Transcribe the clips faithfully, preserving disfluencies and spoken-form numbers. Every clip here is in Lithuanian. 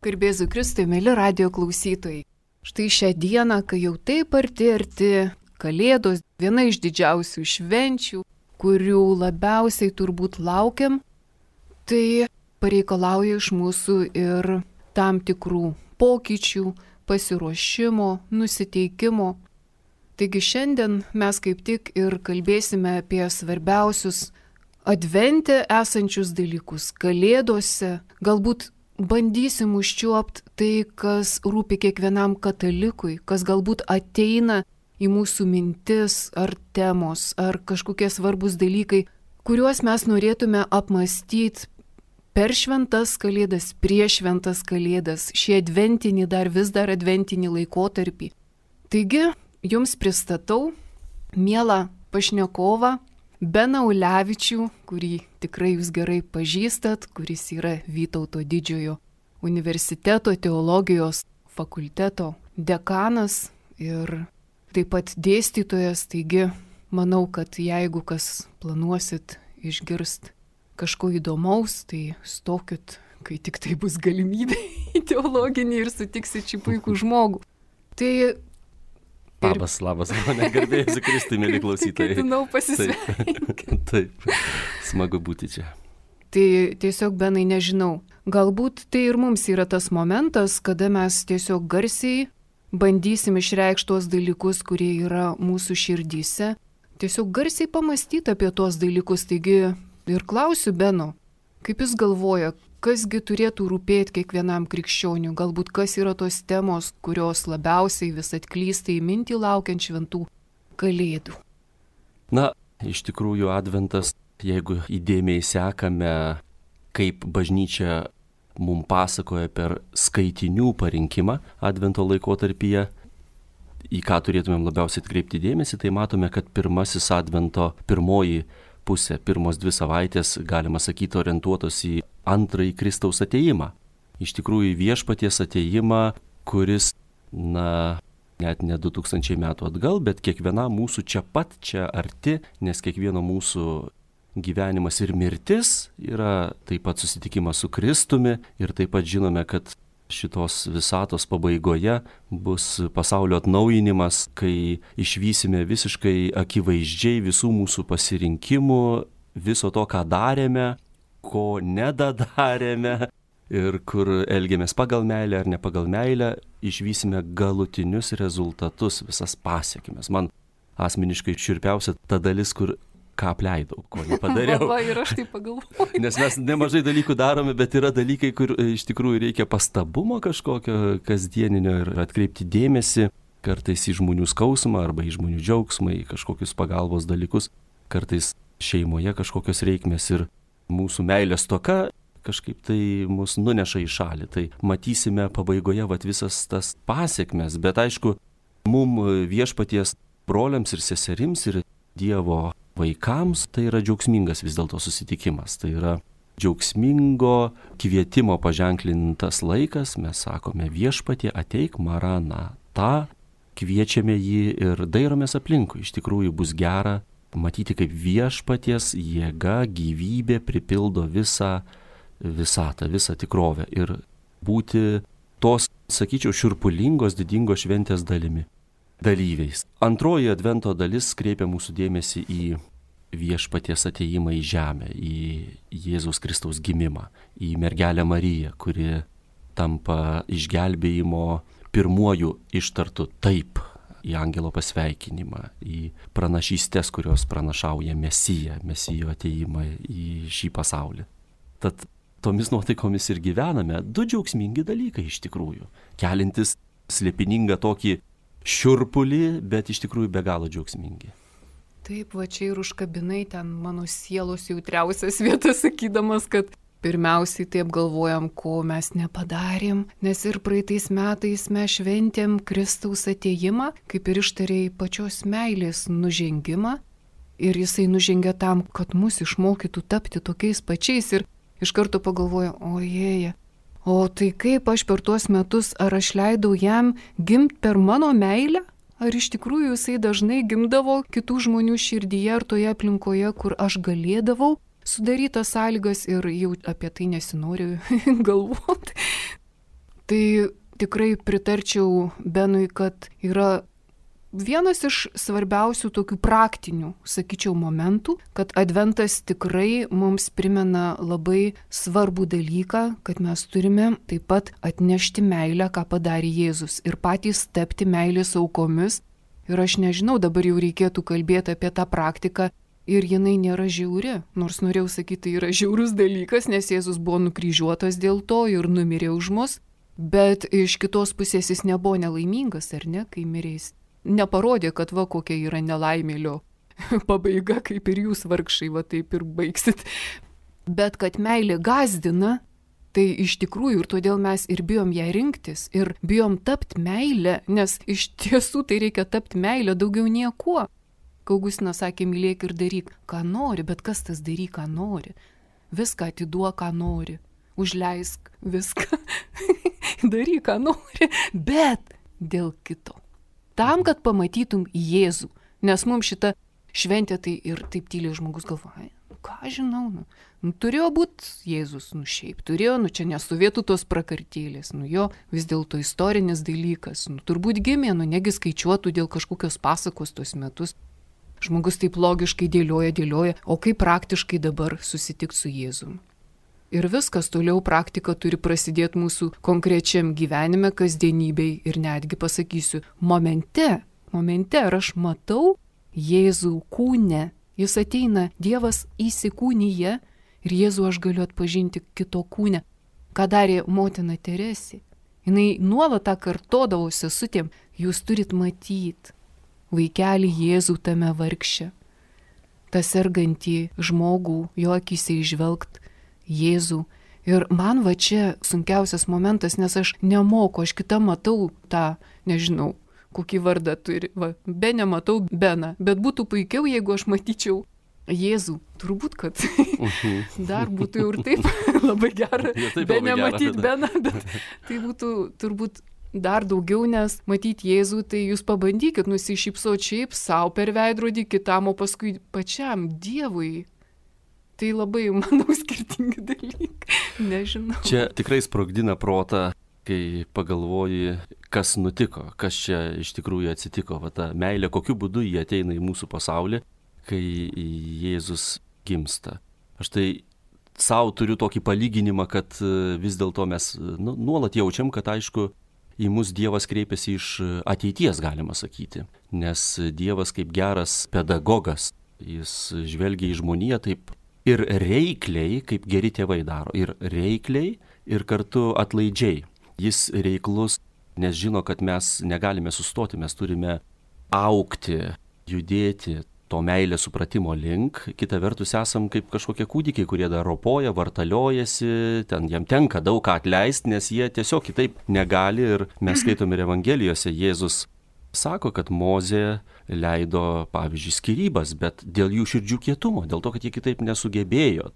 Garbėzu Kristui, mėly radijo klausytojai. Štai šią dieną, kai jau taip arti arti Kalėdos, viena iš didžiausių švenčių, kurių labiausiai turbūt laukiam, tai pareikalauja iš mūsų ir tam tikrų pokyčių, pasiruošimo, nusiteikimo. Taigi šiandien mes kaip tik ir kalbėsime apie svarbiausius advente esančius dalykus, Kalėdose, galbūt bandysim užčiuopti tai, kas rūpi kiekvienam katalikui, kas galbūt ateina į mūsų mintis ar temos, ar kažkokie svarbus dalykai, kuriuos mes norėtume apmastyti per šventas Kalėdas, prieš šventas Kalėdas, šį adventinį, dar vis dar adventinį laikotarpį. Taigi, jums pristatau mielą pašnekovą Beną Ulevičių, kurį tikrai jūs gerai pažįstat, kuris yra Vytauto didžiojo universiteto teologijos fakulteto dekanas ir taip pat dėstytojas. Taigi, manau, kad jeigu kas planuosit išgirst kažko įdomaus, tai stokit, kai tik tai bus galimybė į teologinį ir sutiksit šį puikų žmogų. Tai Labas, labas, mane garbėjusi Kristui, mėly klausytojai. Ketinau pasisveikinti. Taip, smagu būti čia. Tai tiesiog, Benai, nežinau, galbūt tai ir mums yra tas momentas, kada mes tiesiog garsiai bandysim išreikšti tuos dalykus, kurie yra mūsų širdyse. Tiesiog garsiai pamastyti apie tuos dalykus. Taigi ir klausiu Beno, kaip jis galvoja, kasgi turėtų rūpėti kiekvienam krikščioniui, galbūt kas yra tos temos, kurios labiausiai vis atklysta į mintį laukiant šventų Kalėdų. Na, iš tikrųjų adventas, jeigu įdėmiai sekame, kaip bažnyčia mums pasakoja per skaitinių parinkimą advento laikotarpyje, į ką turėtumėm labiausiai atkreipti dėmesį, tai matome, kad pirmasis advento, pirmoji pusė, pirmos dvi savaitės, galima sakyti, orientuotos į antrąjį Kristaus atėjimą. Iš tikrųjų viešpaties atėjimą, kuris, na, net ne du tūkstančiai metų atgal, bet kiekvienam mūsų čia pat, čia arti, nes kiekvieno mūsų gyvenimas ir mirtis yra taip pat susitikimas su Kristumi ir taip pat žinome, kad šitos visatos pabaigoje bus pasaulio atnaujinimas, kai išvysime visiškai akivaizdžiai visų mūsų pasirinkimų, viso to, ką darėme, ko nedadarėme ir kur elgiamės pagal meilę ar ne pagal meilę, išvysime galutinius rezultatus, visas pasiekmes. Man asmeniškai šiurpiausia ta dalis, kur ką apleidau, ko nepadariau. Va, ir aš tai pagalvoju. Nes mes nemažai dalykų darome, bet yra dalykai, kur iš tikrųjų reikia pastabumo kažkokio kasdieninio ir atkreipti dėmesį kartais į žmonių skausmą arba į žmonių džiaugsmą, į kažkokius pagalbos dalykus, kartais šeimoje kažkokios reikmės ir mūsų meilės stoka kažkaip tai mus nuneša į šalį. Tai matysime pabaigoje vat visas tas pasiekmes, bet aišku, mum viešpaties broliams ir seserims ir Dievo vaikams tai yra džiaugsmingas vis dėlto susitikimas. Tai yra džiaugsmingo kvietimo paženklintas laikas, mes sakome viešpatie ateik maranata, kviečiame jį ir dairomės aplinkui. Iš tikrųjų bus gera matyti, kaip viešpaties jėga, gyvybė pripildo visą visatą, visą tikrovę ir būti tos, sakyčiau, šiurpulingos, didingos šventės dalimi, dalyviais. Antroji advento dalis kreipia mūsų dėmesį į viešpaties atėjimą į žemę, į Jėzaus Kristaus gimimą, į mergelę Mariją, kuri tampa išgelbėjimo pirmuoju ištartu taip, į angelo pasveikinimą, į pranašystės, kurios pranašauja Mesiją, Mesijo atėjimą į šį pasaulį. Tad tomis nuotaikomis ir gyvename, du džiaugsmingi dalykai iš tikrųjų, kelintis slėpiningą tokį šiurpulį, bet iš tikrųjų be galo džiaugsmingi. Taip, va čia ir užkabinai ten mano sielos jautriausias vietas, sakydamas, kad pirmiausiai taip galvojam, ko mes nepadarėm, nes ir praeitais metais mes šventėm Kristaus atėjimą, kaip ir ištarėjai pačios meilės nužengimą, ir jisai nužengė tam, kad mus išmokytų tapti tokiais pačiais, ir iš karto pagalvoju, ojėje, o tai kaip aš per tuos metus, ar aš leidau jam gimti per mano meilę? Ar iš tikrųjų jisai dažnai gimdavo kitų žmonių širdyje ar toje aplinkoje, kur aš galėdavau sudaryti sąlygas, ir jau apie tai nesinoriu galvoti. Tai tikrai pritarčiau Benui, kad yra vienas iš svarbiausių tokių praktinių, sakyčiau, momentų, kad adventas tikrai mums primena labai svarbų dalyką, kad mes turime taip pat atnešti meilę, ką padarė Jėzus, ir patys tapti meilės aukomis. Ir aš nežinau, dabar jau reikėtų kalbėti apie tą praktiką ir jinai nėra žiauri. Nors norėjau sakyti, tai yra žiaurus dalykas, nes Jėzus buvo nukryžiuotas dėl to ir numirė už mus, bet iš kitos pusės jis nebuvo nelaimingas, ar ne, kai mirės. Neparodė, kad va kokia yra nelaimėlio pabaiga, kaip ir jūs vargšai, va taip ir baigsit. Bet kad meilė gąsdina, tai iš tikrųjų ir todėl mes ir bijom ją rinktis, ir bijom tapti meilę, nes iš tiesų tai reikia tapti meilę daugiau niekuo. Augustinas sakė, mylėk ir daryk, ką nori, bet kas tas daryk, ką nori. Viską atiduok, ką nori. Užleisk viską. Daryk, ką nori, bet dėl kito. Tam, kad pamatytum Jėzų. Nes mums šita šventė tai ir taip tyliai žmogus galvoja, nu ką žinau, nu, nu turėjo būti Jėzus, nu šiaip turėjo, nu čia nestovėtų tos prakartėlės, nu jo vis dėlto istorinis dalykas, nu turbūt gimė, nu negi skaičiuotų dėl kažkokios pasakos tos metus. Žmogus taip logiškai dėlioja, dėlioja, o kaip praktiškai dabar susitikti su Jėzum. Ir viskas toliau praktika turi prasidėti mūsų konkrečiam gyvenime, kasdienybei ir netgi pasakysiu, momente, momente, ar aš matau Jėzų kūne, jis ateina, Dievas įsikūnyje ir Jėzų aš galiu atpažinti kito kūne. Ką darė motina Teresė? Jinai nuolat tą kartodavo sesutėm, jūs turit matyti vaikelį Jėzų tame vargše, tą sergantį žmogų, jo akyse įžvelgt Jėzų. Ir man va čia sunkiausias momentas, nes aš nemoku, aš kitą matau tą, nežinau, kokį vardą turi, va, be nematau Beną, bet būtų puikiau, jeigu aš matyčiau Jėzų. Turbūt, kad dar būtų jau ir taip labai gera, be nematyti Beną, bet tai būtų turbūt dar daugiau, nes matyti Jėzų, tai jūs pabandykit nusišypsoti šiaip savo per veidrodį kitam, o paskui pačiam Dievui. Tai labai, manau, skirtingi dalykai. Nežinau. Čia tikrai sprogdina protą, kai pagalvoji, kas nutiko, kas čia iš tikrųjų atsitiko. Va ta meilė, kokiu būdu jie ateina į mūsų pasaulį, kai Jėzus gimsta. Aš tai savo turiu tokį palyginimą, kad vis dėlto mes nu, nuolat jaučiam, kad aišku, į mus Dievas kreipiasi iš ateities, galima sakyti. Nes Dievas kaip geras pedagogas, jis žvelgia į žmoniją taip ir reikliai, kaip geri tėvai daro. Ir reikliai, ir kartu atlaidžiai. Jis reiklus, nes žino, kad mes negalime sustoti, mes turime augti, judėti to meilės supratimo link. Kita vertus esam kaip kažkokie kūdikiai, kurie dar ropoja, vartaliojasi, ten jam tenka daug ką atleisti, nes jie tiesiog kitaip negali. Ir mes skaitom ir Evangelijose, Jėzus sako, kad Mozė leido, pavyzdžiui, skyrybas, bet dėl jų širdžių kietumo, dėl to, kad jie kitaip nesugebėjo.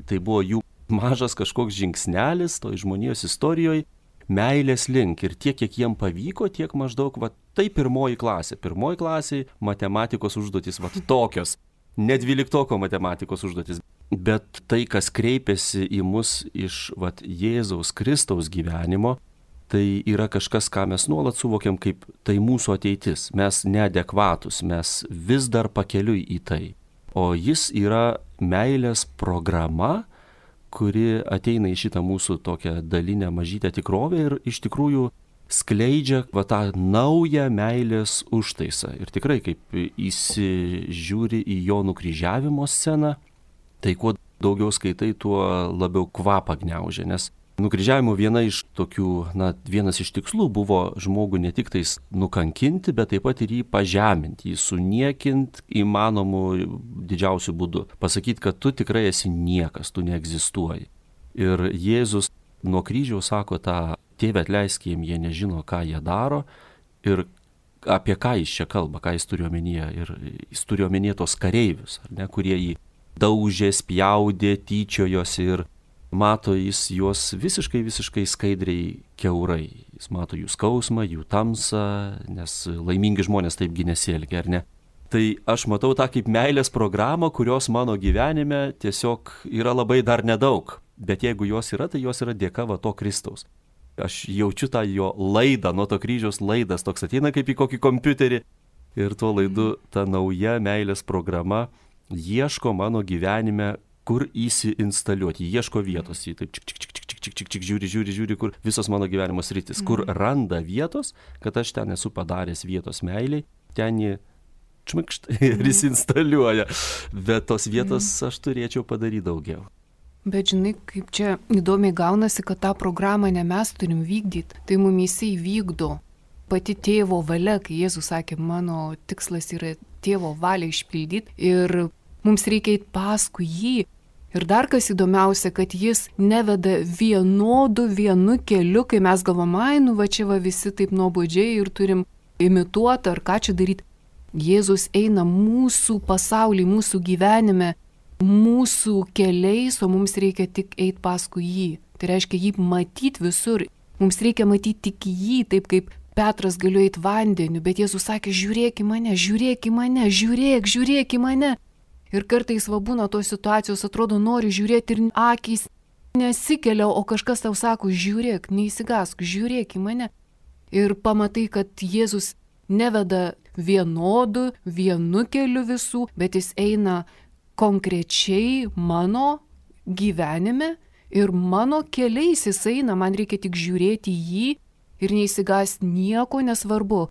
Tai buvo jų mažas kažkoks žingsnelis toj žmonijos istorijoje, meilės link. Ir tiek, kiek jiem pavyko, tiek maždaug, va, tai pirmoji klasė. Pirmoji klasė matematikos užduotis, va, tokios. Ne dvyliktoko matematikos užduotis. Bet tai, kas kreipiasi į mus iš, va, Jėzaus Kristaus gyvenimo, tai yra kažkas, ką mes nuolat suvokiam kaip tai mūsų ateitis. Mes neadekvatus, mes vis dar pakeliui į tai. O jis yra meilės programa, kuri ateina į šitą mūsų tokią dalinę mažytę tikrovę ir iš tikrųjų skleidžia va, tą naują meilės užtaisą. Ir tikrai, kaip įsižiūri į jo nukryžiavimo sceną, tai kuo daugiau skaitai, tuo labiau kvapą gniaužia, nes nukryžiavimo viena iš tokių, na, vienas iš tikslų buvo žmogų ne tik tais nukankinti, bet taip pat ir jį pažeminti, jį suniekinti įmanomų didžiausių būdų. Pasakyti, kad tu tikrai esi niekas, tu neegzistuoji. Ir Jėzus nuo kryžiaus sako tą, tėve atleisk jiem, jie nežino, ką jie daro ir apie ką jis čia kalba, ką jis turi omenyje. Ir jis turi omenyje tos kareivius, ar ne, kurie jį daužė, spjaudė, tyčiojosi ir mato jis juos visiškai, visiškai skaidriai kiaurai. Jis mato jų skausmą, jų tamsą, nes laimingi žmonės taipgi nesielgia, ar ne? Tai aš matau tą kaip meilės programą, kurios mano gyvenime tiesiog yra labai dar nedaug. Bet jeigu jos yra, tai jos yra dėka va to Kristaus. Aš jaučiu tą jo laidą, nuo to kryžiaus laidas toks ateina kaip į kokį kompiuterį. Ir tuo laidu ta nauja meilės programa ieško mano gyvenime, kur įsiinstaliuoti, ieško vietos, jį taip čik, čik, čik, čik, čik, čik, čik, žiūri, žiūri, žiūri, kur visos mano gyvenimo sritis, kur randa vietos, kad aš ten esu padaręs vietos meiliai, ten jį čmikšt ir įsiinstaliuoja. Bet tos vietos aš turėčiau padaryti daugiau. Bet žinai, kaip čia įdomiai gaunasi, kad tą programą ne mes turim vykdyti, tai mumyse įvykdo pati tėvo valia, kai Jėzus sakė, mano tikslas yra tėvo valią išpildyti ir mums reikia eiti paskui jį. Ir dar kas įdomiausia, kad jis neveda vienodu vienu keliu, kai mes galvom, ai, nu va čia va visi taip nuobodžiai ir turim imituoti ar ką čia daryti. Jėzus eina mūsų pasaulį, mūsų gyvenime, mūsų keliais, o mums reikia tik eiti paskui jį. Tai reiškia jį matyti visur. Mums reikia matyti tik jį, taip kaip Petras galėjo eiti vandeniu, bet Jėzus sakė, žiūrėk į mane, žiūrėk į mane, žiūrėk, žiūrėk į mane. Ir kartais va būna tos situacijos, atrodo, nori žiūrėti ir akys nesikelia, o kažkas tau sako, žiūrėk, neįsigask, žiūrėk į mane. Ir pamatai, kad Jėzus neveda vienodu, vienu keliu visų, bet jis eina konkrečiai mano gyvenime ir mano keliais jis eina, man reikia tik žiūrėti jį ir neįsigąs nieko, nesvarbu.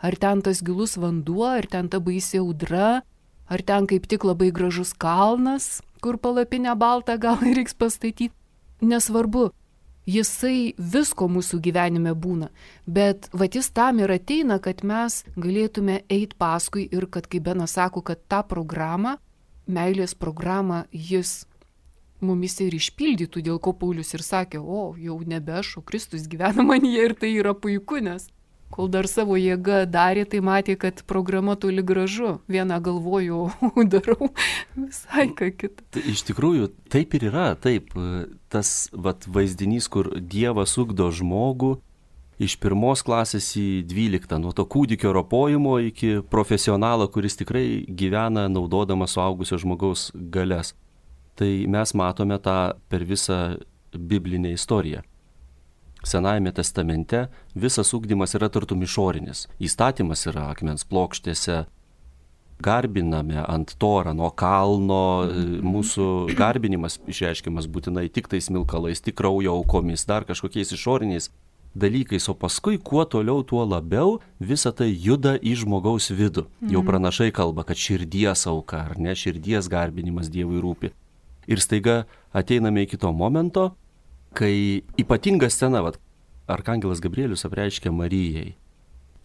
Ar ten tas gilus vanduo, ar ten ta baisi audra, ar ten kaip tik labai gražus kalnas, kur palapinę baltą gal reiks pastatyti. Nesvarbu, jisai visko mūsų gyvenime būna, bet vat jis tam ir ateina, kad mes galėtume eiti paskui ir kad, kaip Benas sako, kad tą programą, meilės programą, jis mumise ir išpildytų, dėl ko Paulius ir sakė, o jau nebe aš, o Kristus gyvena manyje ir tai yra puiku, nes kol dar savo jėgą darė, tai matė, kad programa toli gražu. Vieną galvoju, o darau visai ką kitą. Tai iš tikrųjų, taip ir yra, taip. Tas vat, vaizdinys, kur Dievas ugdo žmogų iš pirmos klasės į dvyliktą, nuo to kūdikio ropojimo iki profesionalo, kuris tikrai gyvena naudodamas suaugusio žmogaus galias. Tai mes matome tą per visą biblinę istoriją. Senajame testamente visas ugdymas yra tartum išorinis. Įstatymas yra akmens plokštėse, garbiname ant Torą nuo kalno, mūsų garbinimas išreiškiamas būtinai tik tais smilkalais, tik kraujo aukomis, dar kažkokiais išoriniais dalykais, o paskui kuo toliau, tuo labiau visa tai juda į žmogaus vidų. Jau pranašai kalba, kad širdies auka, ar ne, širdies garbinimas Dievui rūpi. Ir staiga ateiname iki to momento, kai ypatinga scena, vat, arkangelas Gabrielius apreiškia Marijai,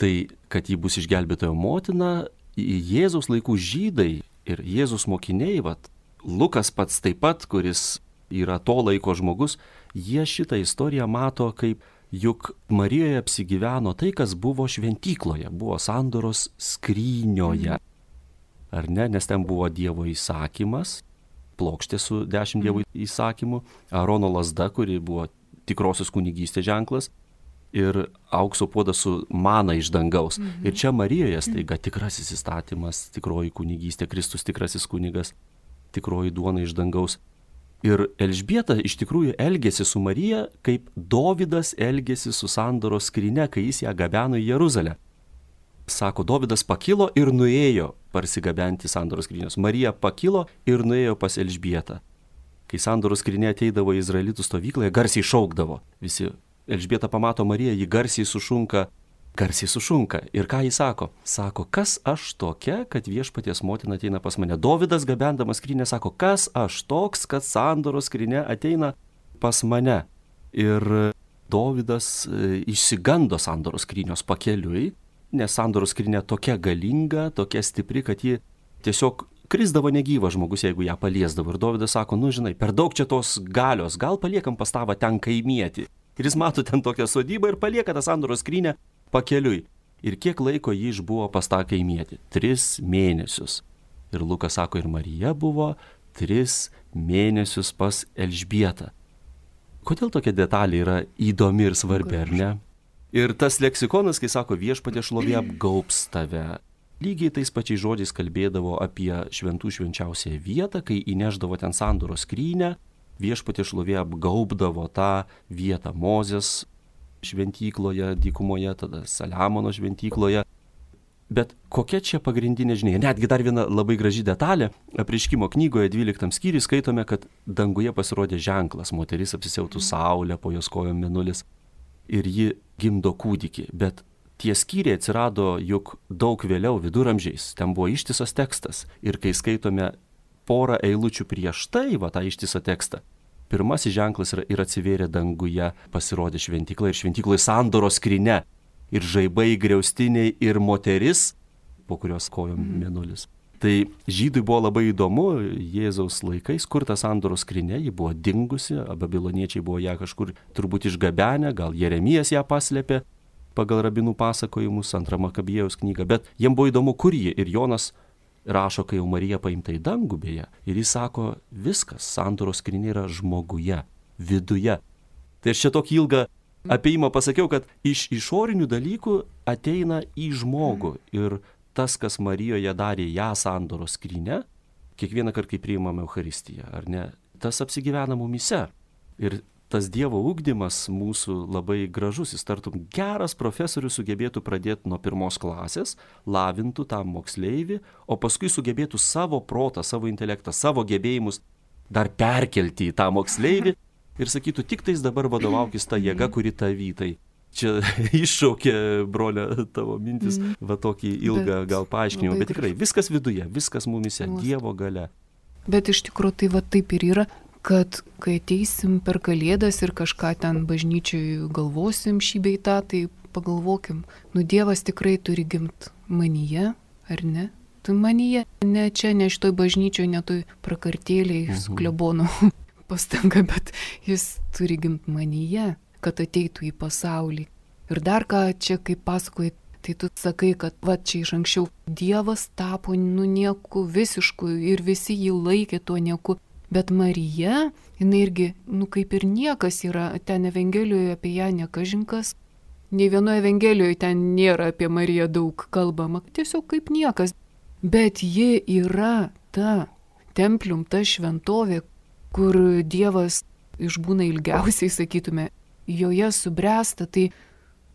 tai, kad ji bus išgelbėtojo motina, Jėzaus laikų žydai ir Jėzus mokiniai, vat, Lukas pats taip pat, kuris yra to laiko žmogus, jie šitą istoriją mato kaip, juk Marijoje apsigyveno tai, kas buvo šventykloje, buvo sandoros skrynioje. Ar ne, nes ten buvo Dievo įsakymas, plokštė su dešimt Dievo įsakymų, Arono lazda, kuri buvo tikrosios kunigystės ženklas, ir aukso puodas su mana iš dangaus. Mhm. Ir čia Marijoje staiga tikrasis įstatymas, tikroji kunigystė, Kristus tikrasis kunigas, tikroji duona iš dangaus. Ir Elžbieta iš tikrųjų elgėsi su Marija, kaip Dovydas elgėsi su sandoros skrynia, kai jis ją gabeno į Jeruzalę. Sako, Dovydas pakilo ir nuėjo parsigabenti sandoros skrynios. Marija pakilo ir nuėjo pas Elžbietą. Kai sandoros skrynia ateidavo į izraelitų stovyklą, garsiai šaukdavo. Visi Elžbieta pamato Mariją, ji garsiai sušunka, garsiai sušunka. Ir ką jis sako? Sako, kas aš tokia, kad viešpaties motina ateina pas mane. Dovydas gabendamas skrynią sako, kas aš toks, kad sandoros skrynia ateina pas mane. Ir Dovydas išsigando sandoros skrynios pakeliui, nes sandoros skrynia tokia galinga, tokia stipri, kad ji tiesiog krisdavo negyvas žmogus, jeigu ją paliesdavo. Ir Dovydas sako, nu žinai, per daug čia tos galios, gal paliekam pas tavą ten kaimietį. Ir jis mato ten tokią sodybą ir palieka tą sandoros skrynią pakeliui. Ir kiek laiko jį išbuvo pas tą kaimietį? Tris mėnesius. Ir Lukas sako, ir Marija buvo tris mėnesius pas Elžbietą. Kodėl tokia detalė yra įdomi ir svarbi, ar ne? Ir tas leksikonas, kai sako, viešpatie šlovė apgaubs tave, lygiai tais pačiais žodžiais kalbėdavo apie šventų švenčiausią vietą, kai įneždavo ten sandoros skrynią, viešpatie šlovė apgaubdavo tą vietą. Mozės šventykloje, dykumoje, tada Saliamono šventykloje. Bet kokia čia pagrindinė žinia? Netgi dar viena labai graži detalė. Apreiškimo knygoje dvyliktam skyriui skaitome, kad danguje pasirodė ženklas. Moteris apsisiautų saulę, po jos kojom mėnulis. Ir ji gimdo kūdikį. Bet tie skyriai atsirado juk daug vėliau, viduramžiais. Ten buvo ištisas tekstas. Ir kai skaitome porą eilučių prieš tai, va tą ištisą tekstą, pirmasis ženklas yra ir atsivėrė danguje, pasirodė šventykla ir šventykloje sandoros skrynia. Ir žaibai, griaustiniai, ir moteris, po kurios kojom mėnulis. Tai žydui buvo labai įdomu, Jėzaus laikais, kur ta sandoros skrynia, ji buvo dingusi, babiloniečiai buvo ją kažkur turbūt išgabenę, gal Jeremijas ją paslėpė pagal rabinų pasakojimus, antrą Makabiejaus knygą, bet jiem buvo įdomu, kur ji. Ir Jonas rašo, kai jau Marija paimta į dangų beje, ir jis sako, viskas, sandoros skrynia yra žmoguje, viduje. Tai aš čia tokį ilgą apėjimą pasakiau, kad iš išorinių dalykų ateina į žmogų ir tas, kas Marijoje darė ją sandoros skryne, kiekvieną kartą, kai priimame Eucharistiją, ar ne, tas apsigyvena mumyse. Ir tas Dievo ugdymas mūsų labai gražus, jis tartum geras profesorius sugebėtų pradėti nuo pirmos klasės, lavintų tą moksleivį, o paskui sugebėtų savo protą, savo intelektą, savo gebėjimus dar perkelti į tą moksleivį. Ir sakytų, tik tais dabar vadovaukis tą jėgą, kuri tavytai. Čia iššaukė, brolė, tavo mintis, mm. va tokį ilgą bet, gal paaiškinimą, bet tikrai viskas viduje, viskas mumise, Dievo galia. Bet iš tikrųjų tai va taip ir yra, kad kai ateisim per Kalėdas ir kažką ten bažnyčiai galvosim šį bei tą, tai pagalvokim, nu Dievas tikrai turi gimt manyje, ar ne? Tu manyje, ne čia, ne šitoj bažnyčioj, ne toj prakartėliai mhm. su klebonu. Pastanga, bet jis turi gimti manyje, kad ateitų į pasaulį. Ir dar ką čia, kaip pasakoji, tai tu sakai, kad va čia iš anksčiau Dievas tapo nu nieku visišku ir visi jį laikė tuo nieku. Bet Marija, jinai irgi, nu kaip ir niekas yra, ten Evangelijoje apie ją nekažinkas. Nei vienoje Evangelijoje ten nėra apie Mariją daug kalbama, tiesiog kaip niekas. Bet ji yra ta templium, ta šventovė, kur Dievas išbūna ilgiausiai, sakytume, joje subręsta, tai,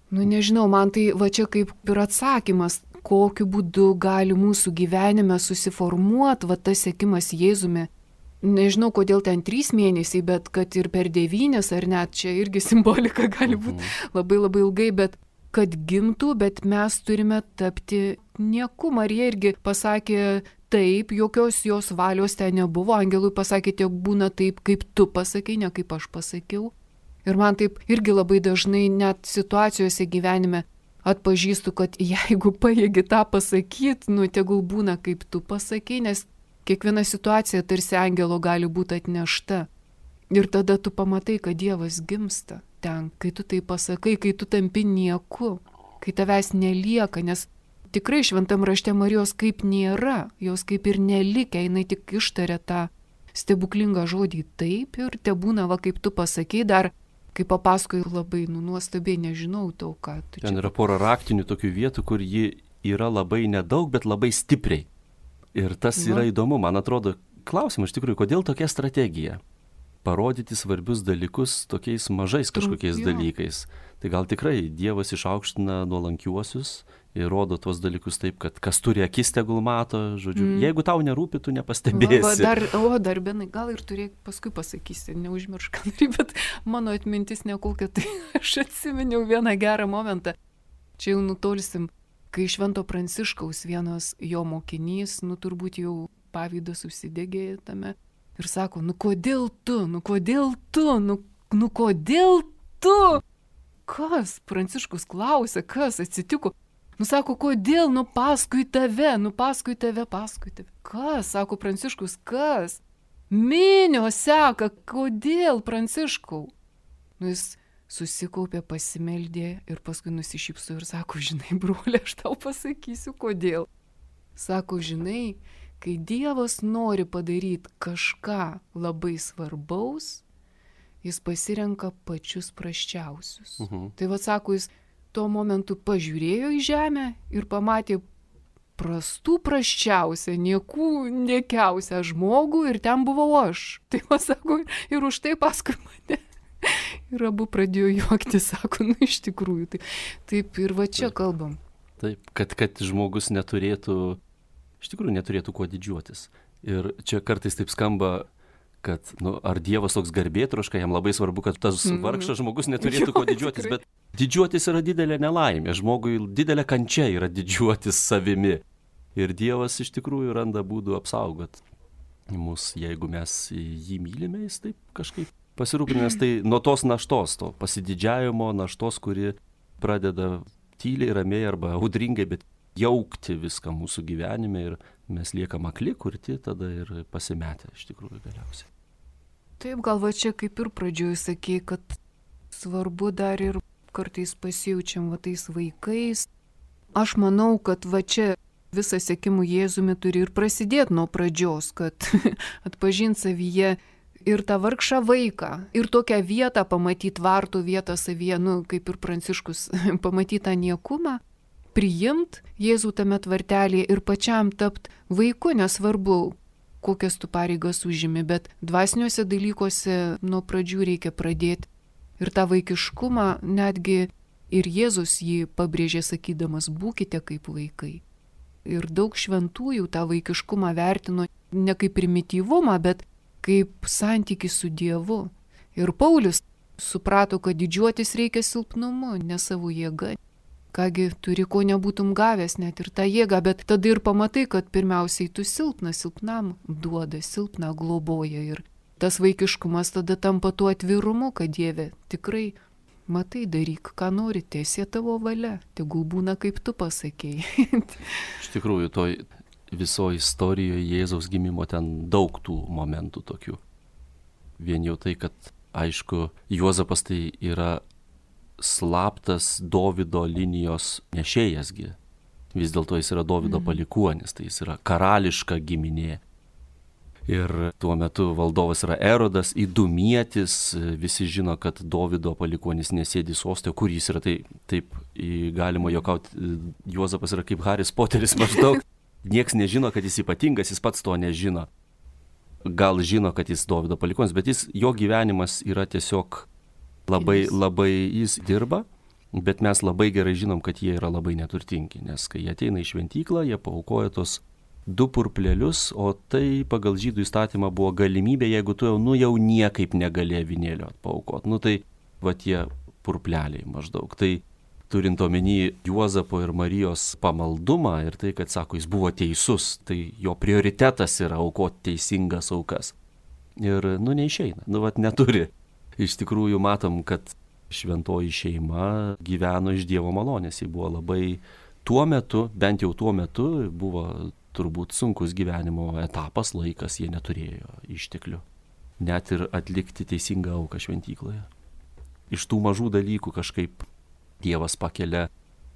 nu nežinau, man tai va čia kaip ir atsakymas, kokiu būdu gali mūsų gyvenime susiformuoti va tas sekimas Jėzumi. Nežinau, kodėl ten trys mėnesiai, bet kad ir per devynis, ar net čia irgi simbolika gali būti labai labai ilgai, bet kad gimtų, bet mes turime tapti nieku. Marija irgi pasakė, taip, jokios jos valios ten nebuvo, angelui pasakė, tiek būna taip, kaip tu pasakei, ne kaip aš pasakiau. Ir man taip irgi labai dažnai net situacijose gyvenime atpažįstu, kad jeigu pajėgi tą pasakyti, nu tegul būna kaip tu pasakei, nes kiekviena situacija tarsi angelo gali būti atnešta. Ir tada tu pamatai, kad Dievas gimsta ten, kai tu tai pasakai, kai tu tampi nieku, kai tavęs nelieka, nes tikrai šventam rašte Marijos kaip nėra, jos kaip ir nelikę, jinai tik ištarė tą stebuklingą žodį taip ir te būna, va kaip tu pasakei, dar kaip papasakoji labai, nu nuostabiai, nežinau tau, ką tu čia. Ten yra pora raktinių tokių vietų, kur ji yra labai nedaug, bet labai stipriai. Ir tas va. Yra įdomu, man atrodo, klausimas iš tikrųjų, kodėl tokia strategija? Parodyti svarbius dalykus tokiais mažais kažkokiais Trump, dalykais. Tai gal tikrai Dievas išaukština nuolankiuosius ir rodo tuos dalykus taip, kad kas turi akis tegul mato, žodžiu, mm. jeigu tau nerūpi, tu nepastebėsi. Va, va, dar, o, dar benai, gal ir turėk, paskui pasakysi, neužmiršk, bet mano atmintis nekokia, tai aš atsiminiau vieną gerą momentą. Čia jau nutolsim, kai Švento Pranciškaus vienas jo mokinys, nu turbūt jau pavydas užsidegė tame. Ir sako, nu kodėl tu, nu kodėl tu, nu, nu kodėl tu? Kas? Pranciškus klausė, kas atsitiko? Nu sako, kodėl, nu paskui tave, nu paskui tave, paskui tave. Kas? Sako Pranciškus, kas? Minios seka, kodėl Pranciškau? Nu jis susikaupė, pasimeldė ir paskui nusišypso ir sako, žinai, broli, aš tau pasakysiu, kodėl. Sako, žinai, kai Dievas nori padaryti kažką labai svarbaus, jis pasirenka pačius prasčiausius. Uh-huh. Tai va, sako, jis tuo momentu pažiūrėjo į žemę ir pamatė prastų prasčiausią, niekų niekiausią žmogų ir ten buvau aš. Tai va, sako, ir už tai paskui mane Ir abu pradėjo juokti, sako, nu iš tikrųjų. Tai, taip ir va čia kalbam. Taip, kad, kad žmogus neturėtų, iš tikrųjų neturėtų kuo didžiuotis. Ir čia kartais taip skamba, kad, nu, ar Dievas toks garbėtroška, jam labai svarbu, kad tas mm. vargšas žmogus neturėtų jo, kuo didžiuotis, tikrai. Bet didžiuotis yra didelė nelaimė, žmogui didelė kančia yra didžiuotis savimi. Ir Dievas iš tikrųjų randa būdų apsaugot mus, jeigu mes jį mylime, jis taip kažkaip pasirūpinęs, tai nuo tos naštos, to pasididžiavimo naštos, kuri pradeda tyliai, ramiai arba audringai, bet jaukti viską mūsų gyvenime ir mes liekam akli, kurti tada ir pasimetę iš tikrųjų galiausiai. Taip, gal va čia kaip ir pradžioj sakei, kad svarbu dar ir kartais pasijaučiam va tais vaikais. Aš manau, kad va čia visas sekimų Jėzumi turi ir prasidėti nuo pradžios, kad atpažint savyje ir tą vargšą vaiką, ir tokią vietą pamatyti, vartų vietą savyje, nu, kaip ir Pranciškus, pamatyti tą niekumą, priimt Jėzų tame tvartelėje ir pačiam tapt vaiku, nesvarbu, kokias tu pareigas užimi, bet dvasiniuose dalykuose nuo pradžių reikia pradėti. Ir tą vaikiškumą netgi ir Jėzus jį pabrėžė sakydamas, būkite kaip vaikai. Ir daug šventųjų tą vaikiškumą vertino ne kaip primityvumą, bet kaip santykį su Dievu. Ir Paulius suprato, kad didžiuotis reikia silpnumu, ne savo jėga. Kągi turi, ko nebūtum gavęs, net ir tą jėgą, bet tada ir pamatai, kad pirmiausiai tu silpnas, silpnam duoda, silpną globoja. Ir tas vaikiškumas tada tampa tuo atvirumu, kad Dieve tikrai matai, daryk, ką nori, tiesie tavo valia, tegul būna kaip tu pasakėjai. Iš tikrųjų, toj visoje istorijoje Jėzaus gimimo ten daug tų momentų tokių. Vien jau tai, kad, aišku, Juozapas tai yra slaptas Dovydo linijos nešėjasgi. Vis dėlto jis yra Dovydo mm. palikuonis, tai jis yra karališka giminė. Ir tuo metu valdovas yra Erodas, įdumietis, visi žino, kad Dovydo palikuonis nesėdi soste, kur jis yra, tai taip galima juokauti, Juozapas yra kaip Haris Poteris maždaug. Niekas nežino, kad jis ypatingas, jis pats to nežino. Gal žino, kad jis Dovydo palikuonis, bet jis, jo gyvenimas yra tiesiog labai, labai, jis dirba, bet mes labai gerai žinom, kad jie yra labai neturtingi, nes kai jie ateina į šventyklą, jie paaukoja tos du purplelius, o tai pagal žydų įstatymą buvo galimybė, jeigu tu jau, nu, jau niekaip negali avinėlio paaukoti. Nu tai va tie purpleliai maždaug. Tai turint omeny Juozapo ir Marijos pamaldumą ir tai, kad sako, jis buvo teisus, tai jo prioritetas yra aukoti teisingas aukas. Ir, nu, neišeina, nu, vat neturi. Iš tikrųjų matom, kad šventoji šeima gyveno iš Dievo malonės. Ji buvo labai tuo metu, bent jau tuo metu, buvo turbūt sunkus gyvenimo etapas, laikas, jie neturėjo išteklių. Net ir atlikti teisingą auką šventykloje. Iš tų mažų dalykų kažkaip Dievas pakelia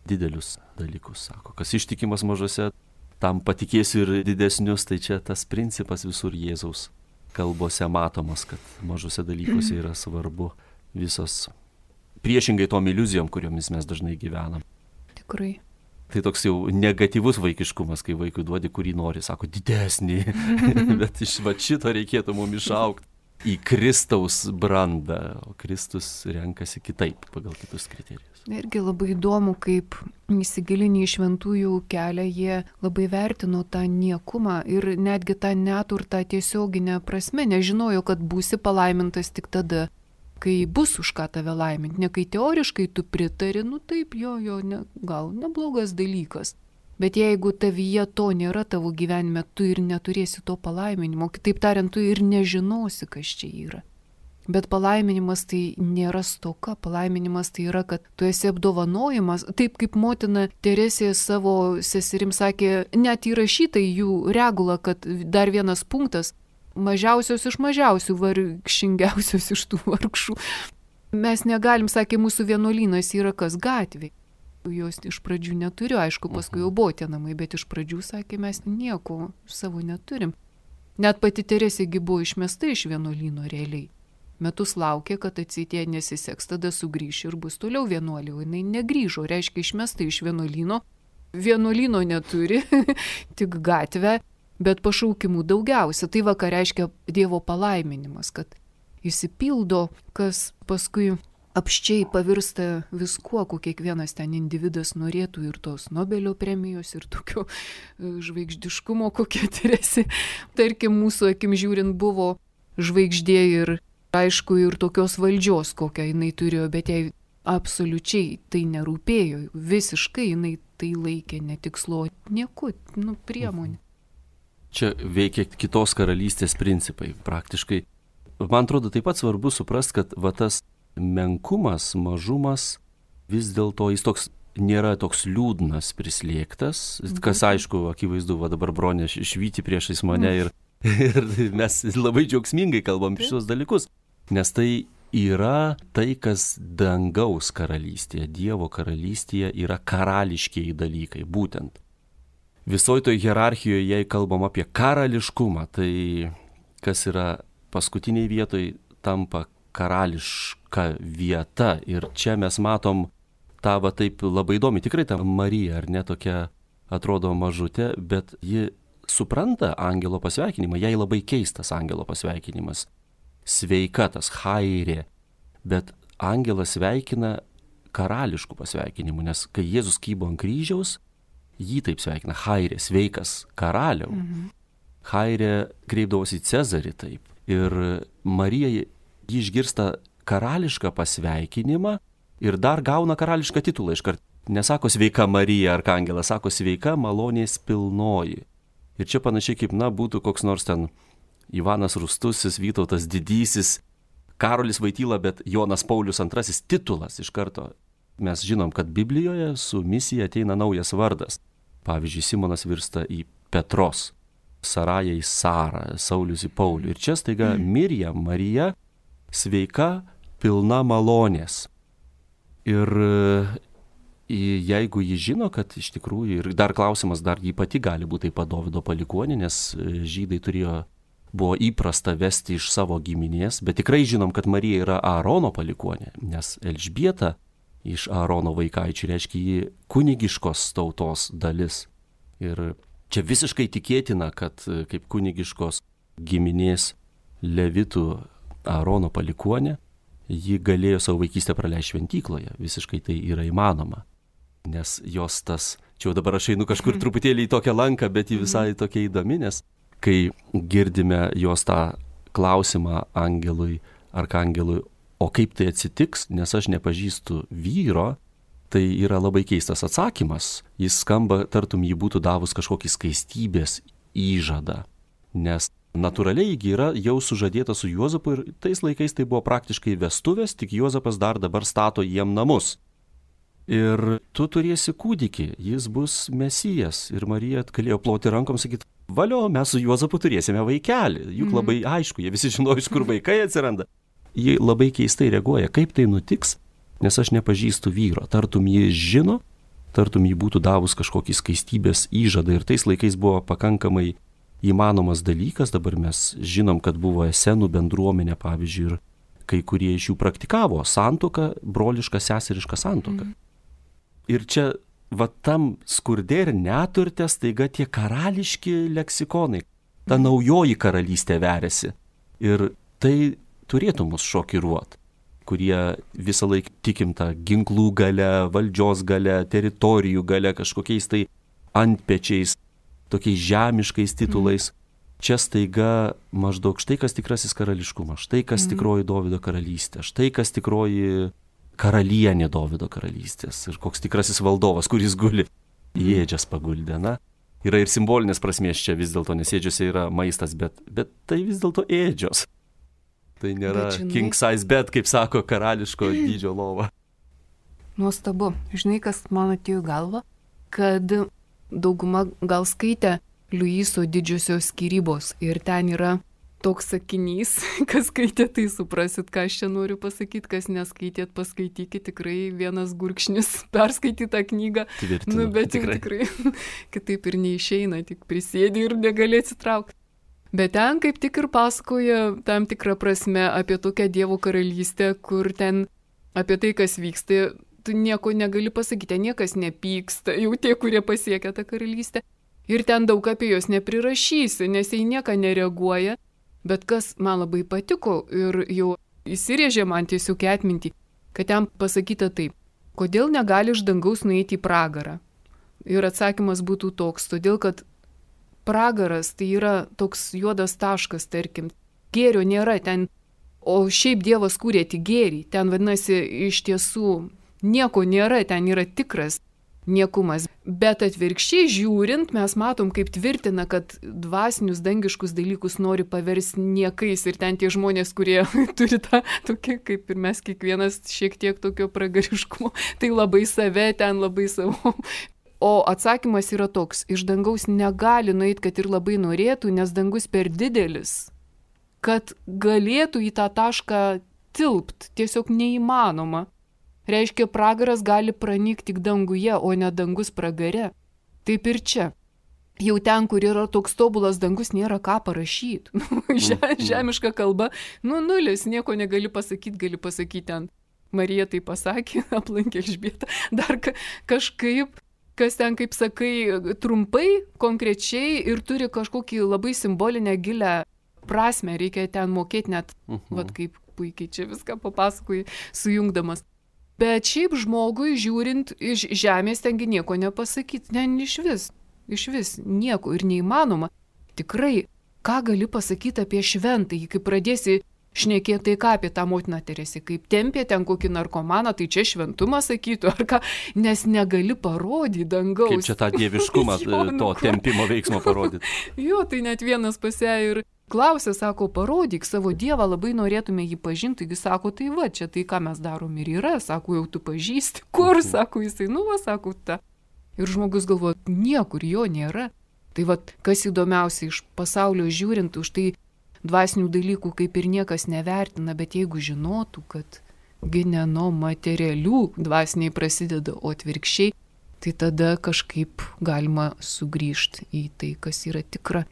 didelius dalykus, sako. Kas ištikimas mažose, tam patikėsiu ir didesnius, tai čia tas principas visur Jėzaus kalbose matomas, kad mažose dalykuose yra svarbu visos, priešingai tom iliuzijom, kuriomis mes dažnai gyvenam. Tikrai. Tai toks jau negatyvus vaikiškumas, kai vaikui duodi, kurį nori, sako, didesnį, bet iš va šito reikėtų mums išaukti į Kristaus brandą, o Kristus renkasi kitaip, pagal kitus kriterijus. Irgi labai įdomu, kaip įsigilinį į šventųjų kelią, jie labai vertino tą niekumą ir netgi tą neturtą tiesioginę prasme, nežinojo, kad būsi palaimintas tik tada, kai bus už ką tave laiminti, ne kai teoriškai tu pritari, nu taip, jo, jo, ne, gal neblogas dalykas. Bet jeigu tavyje to nėra tavo gyvenime, tu ir neturėsi to palaiminimo, kitaip tariant, tu ir nežinosi, kas čia yra. Bet palaiminimas tai nėra stoka, palaiminimas tai yra, kad tu esi apdovanojimas, taip kaip motina Teresė savo seserim sakė, net įrašyta į jų regulą, kad dar vienas punktas, mažiausios iš mažiausių, vargšingiausios iš tų vargšų. Mes negalim, sakė, mūsų vienuolynas yra kas gatvė. Jos iš pradžių neturiu, aišku, paskui jau buvo tie namai, bet iš pradžių, sakė, mes nieko savo neturim. Net pati Teresėgi buvo išmesta iš vienuolyno realiai. Metus laukė, kad atsitė nesiseks, tada sugrįš ir bus toliau vienuolė, o jinai negrįžo, reiškia išmesta iš vienuolyno. Vienuolyno neturi, tik gatvę, bet pašaukimų daugiausia. Tai va, ką reiškia Dievo palaiminimas, kad įsipildo, kas paskui apščiai pavirsta viskuo, ko kiekvienas ten individas norėtų, ir tos Nobelio premijos, ir tokio žvaigždiškumo, kokie turėsi. Tarkim, mūsų akim žiūrint buvo žvaigždė ir, aišku, ir tokios valdžios, kokią jinai turėjo, bet jai absoliučiai tai nerūpėjo, visiškai jinai tai laikė netikslo, nieko, nu, priemonė. Čia veikia kitos karalystės principai praktiškai. Man atrodo, taip pat svarbu suprasti, kad va tas menkumas, mažumas, vis dėlto jis toks nėra toks liūdnas, prislėgtas, kas aišku, akivaizdu, va dabar Bronė švyti priešais mane ir, ir mes labai džiaugsmingai kalbam apie šios dalykus, nes tai yra tai, kas dangaus karalystėje, Dievo karalystėje yra karališkieji dalykai, būtent. Visoje toje hierarchijoje, jei kalbam apie karališkumą, tai kas yra paskutiniai vietoj, tampa karališka vieta. Ir čia mes matom tą va taip labai įdomi, tikrai ta Marija, ar ne, tokia atrodo mažutė, bet ji supranta angelo pasveikinimą, jai labai keistas angelo pasveikinimas. Sveika tas chairė, bet angelas sveikina karališkų pasveikinimu, nes kai Jėzus kybo ant kryžiaus, jį taip sveikina, chairė, sveikas karaliau. Mhm. Chairė kreipdavosi į Cezarį taip. Ir Marija jį išgirsta karališką pasveikinimą ir dar gauna karališką titulą iškart. Nesako sveika Marija arkangelas, sako sveika malonės pilnoji. Ir čia panašiai kaip, na, būtų koks nors ten Ivanas Rūstusis, Vytautas Didysis, Karolis Vaityla, bet Jonas Paulius antrasis titulas iš karto. Mes žinom, kad Biblijoje su misija ateina naujas vardas. Pavyzdžiui, Simonas virsta į Petros, Saraja į Sarą, Saulius į Paulių. Ir čia staiga Mirjam, Marija, sveika, pilna malonės. Ir jeigu ji žino, kad iš tikrųjų, ir dar klausimas, dar ji pati gali būti taip pat Dovydo palikuonė, nes žydai turėjo, buvo įprasta vesti iš savo giminės, bet tikrai žinom, kad Marija yra Aarono palikuonė, nes Elžbieta iš Aarono vaikaičių reiškia ji kunigiškos tautos dalis. Ir čia visiškai tikėtina, kad kaip kunigiškos giminės Levitų Aarono palikuonė, ji galėjo savo vaikystę praleisti šventykloje. Visiškai tai yra įmanoma. Nes jos tas, čia jau dabar aš einu kažkur truputėlį į tokią lanką, bet ji visai tokia įdomi, nes kai girdime jos tą klausimą angelui, arkangelui, o kaip tai atsitiks, nes aš nepažįstu vyro, tai yra labai keistas atsakymas. Jis skamba, tartum jį būtų davus kažkokį skaistybės įžadą, nes natūraliai ji yra jau sužadėta su Juozapu ir tais laikais tai buvo praktiškai vestuvės, tik Juozapas dar dabar stato jiem namus. Ir tu turėsi kūdikį, jis bus Mesijas. Ir Marija galėjo ploti rankom, sakyti, valio, mes su Juozapu turėsime vaikelį. Juk mm. labai aišku, jie visi žinojo, iš kur vaikai atsiranda. Jie labai keistai reaguoja, kaip tai nutiks, nes aš nepažįstu vyro. Tartum jį žino, tartum jį būtų davus kažkokį skaistybės įžadą. Ir tais laikais buvo pakankamai įmanomas dalykas, dabar mes žinom, kad buvo esenų bendruomenė, pavyzdžiui, ir kai kurie iš jų praktikavo santuoką, brolišką, seserišką santuoką. Mm. Ir čia, va tam skurde ir neturte staiga tie karališki leksikonai, ta naujoji karalystė veriasi. Ir tai turėtų mus šokiruoti, kurie visą laiką tikim tą ginklų gale, valdžios gale, teritorijų gale, kažkokiais tai antpečiais, tokiais žemiškais titulais. Mm. Čia staiga maždaug štai kas tikrasis karališkumas, štai kas mm. tikroji Dovydo karalystė, štai kas tikroji karalienė Dovydo karalystės ir koks tikrasis valdovas, kuris guli į ėdžias paguldė. Na, yra ir simbolinės prasmės čia vis dėlto, nes ėdžiose yra maistas, bet, bet tai vis dėlto ėdžios. Tai nėra žinai, king size bed, kaip sako, karališko dydžio lova. Nuostabu. Žinai, kas man atėjo galva, kad dauguma gal skaitė Liuiso didžiosios skyrybos ir ten yra toks sakinys, kas skaitė, tai suprasit, ką aš čia noriu pasakyti, kas neskaitėt, paskaitykit, tikrai vienas gurkšnis perskaityti tą knygą. Tvirtinu, nu, bet tikrai, tikrai kitaip ir neišeina, tik prisėdi ir negali atsitraukti. Bet ten kaip tik ir pasakoja tam tikrą prasme apie tokią Dievo karalystę, kur ten apie tai, kas vyksta, tu nieko negali pasakyti, niekas nepyksta, jau tie, kurie pasiekia tą karalystę. Ir ten daug apie jos neprirašysi, nes jie nieką nereaguoja. Bet kas man labai patiko ir jau įsirėžė man tiesiog į atmintį, kad ten pasakyta taip, kodėl negali iš dangaus nueiti į pragarą. Ir atsakymas būtų toks, todėl kad pragaras tai yra toks juodas taškas, tarkim, gėrio nėra ten, o šiaip Dievas kūrė tik gėrį, ten vadinasi iš tiesų nieko nėra, ten yra tikras niekumas. Bet atvirkščiai žiūrint, mes matom, kaip tvirtina, kad dvasinius dangiškus dalykus nori paversti niekais ir ten tie žmonės, kurie turi tą tokį, kaip ir mes kiekvienas šiek tiek tokio pragariškumo, tai labai save, ten labai savo. O atsakymas yra toks, iš dangaus negali nueiti, kad ir labai norėtų, nes dangus per didelis, kad galėtų į tą tašką tilpt, tiesiog neįmanoma. Reiškia, pragaras gali pranykti tik danguje, o ne dangus pragare. Taip ir čia. Jau ten, kur yra toks tobulas dangus, nėra ką parašyti. Žemiška kalba, nu nulis, nieko negali pasakyti, gali pasakyti ten. Marija tai pasakė, aplankė Elžbietą, dar ka- kažkaip, kas ten, kaip sakai, trumpai, konkrečiai ir turi kažkokį labai simbolinę gilę prasme, reikia ten mokėti net, uh-huh. vat kaip puikiai čia viską papasakoji, sujungdamas. Bet šiaip žmogui žiūrint iš žemės tengi nieko nepasakyti, ne, iš vis, iš vis, nieko ir neįmanoma. Tikrai, ką gali pasakyti apie šventąjį, kai pradėsi šnekėti tai ką apie tą motiną Teresę, kaip tempė ten kokį narkomaną, tai čia šventumą sakytų, ar ką, nes negali parodyti dangaus. Kaip čia tą dieviškumą jo, to tempimo veiksmo parodyti. Jo, tai net vienas pasė ir klausė, sako, parodyk savo Dievą, labai norėtume jį pažinti, taigi sako, tai va, čia tai, ką mes darom ir yra, sako, jau tu pažįsti, kur, sako, jisai, nu va, sako, ta. Ir žmogus galvoja, niekur jo nėra. Tai va, kas įdomiausia iš pasaulio žiūrint, už tai dvasinių dalykų kaip ir niekas nevertina, bet jeigu žinotų, kad gi ne nuo materialių dvasiniai prasideda, o atvirkščiai, tai tada kažkaip galima sugrįžti į tai, kas yra tikra.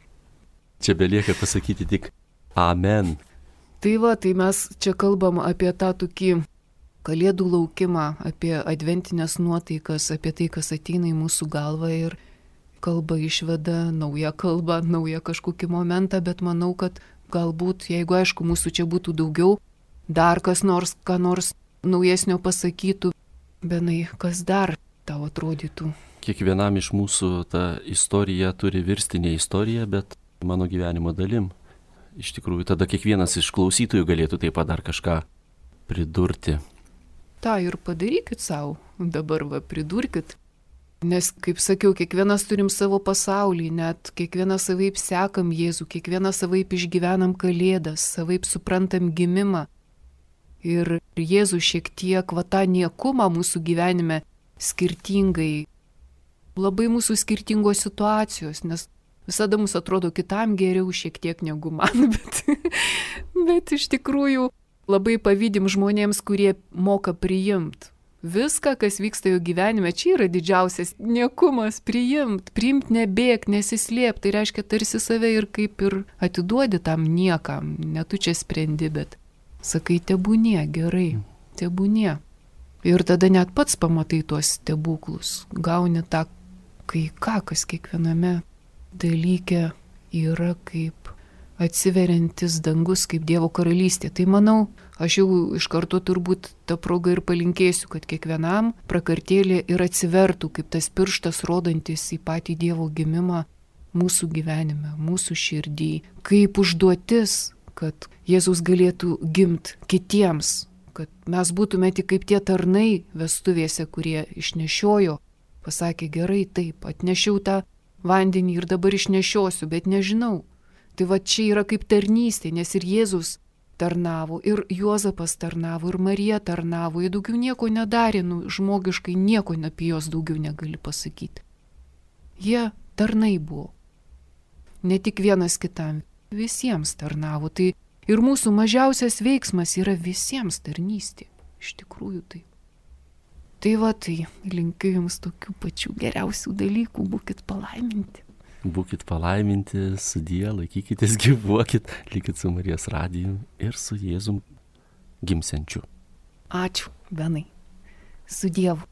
Čia belieka pasakyti tik amen. Tai va, tai mes čia kalbam apie tą tokį kalėdų laukimą, apie adventinės nuotaikas, apie tai, kas ateina į mūsų galvą ir kalba išveda naują kalbą, naują kažkokį momentą, bet manau, kad galbūt, jeigu aišku, mūsų čia būtų daugiau, dar kas nors, ką nors naujesnio pasakytų, benai, kas dar tau atrodytų. Kiekvienam iš mūsų ta istorija turi virsti ne istorija, bet mano gyvenimo dalim. Iš tikrųjų, tada kiekvienas iš klausytojų galėtų taip pat dar kažką pridurti. Ta ir padarykit savo, dabar va pridurkit. Nes, kaip sakiau, kiekvienas turim savo pasaulį, net kiekvienas savaip sekam Jėzų, kiekvienas savaip išgyvenam kalėdas, savaip suprantam gimimą. Ir Jėzus šiek tiek va tą niekumą mūsų gyvenime skirtingai, labai mūsų skirtingos situacijos, nes visada mums atrodo kitam geriau šiek tiek negu man, bet, bet iš tikrųjų labai pavydim žmonėms, kurie moka priimti. Viską, kas vyksta jų gyvenime, čia yra didžiausias niekumas, priimt, priimt, nebėg, nesislėp, tai reiškia tarsi save ir kaip ir atiduodi tam niekam, ne tu čia sprendi, bet sakai, tebūnie, gerai, tebūnie. Ir tada net pats pamatai tuos stebuklus, gauni tą kai ką, kas kiekviename dalyke yra kaip atsiveriantis dangus, kaip Dievo karalystė. Tai manau, aš jau iš karto turbūt tą progą ir palinkėsiu, kad kiekvienam prakartėlė ir atsivertų kaip tas pirštas rodantis į patį Dievo gimimą mūsų gyvenime, mūsų širdį, kaip užduotis, kad Jėzus galėtų gimti kitiems, kad mes būtume tik kaip tie tarnai vestuvėse, kurie išnešiojo, pasakė, gerai, taip, atnešiau tą vandenį ir dabar išnešiosiu, bet nežinau. Tai va čia yra kaip tarnystė, nes ir Jėzus tarnavo, ir Juozapas tarnavo, ir Marija tarnavo, jie daugiau nieko nedarė, nu, žmogiškai nieko apie jos daugiau negali pasakyti. Jie tarnai buvo. Ne tik vienas kitam, visiems tarnavo. Tai ir mūsų mažiausias veiksmas yra visiems tarnystė. Iš tikrųjų tai. Tai va, tai linkiu jums tokių pačių geriausių dalykų, būkit palaiminti. Būkit palaiminti, sudie, laikykitės, gyvuokit, likit su Marijos radiju ir su Jėzum gimsiančiu. Ačiū, Benai. Su Dievu.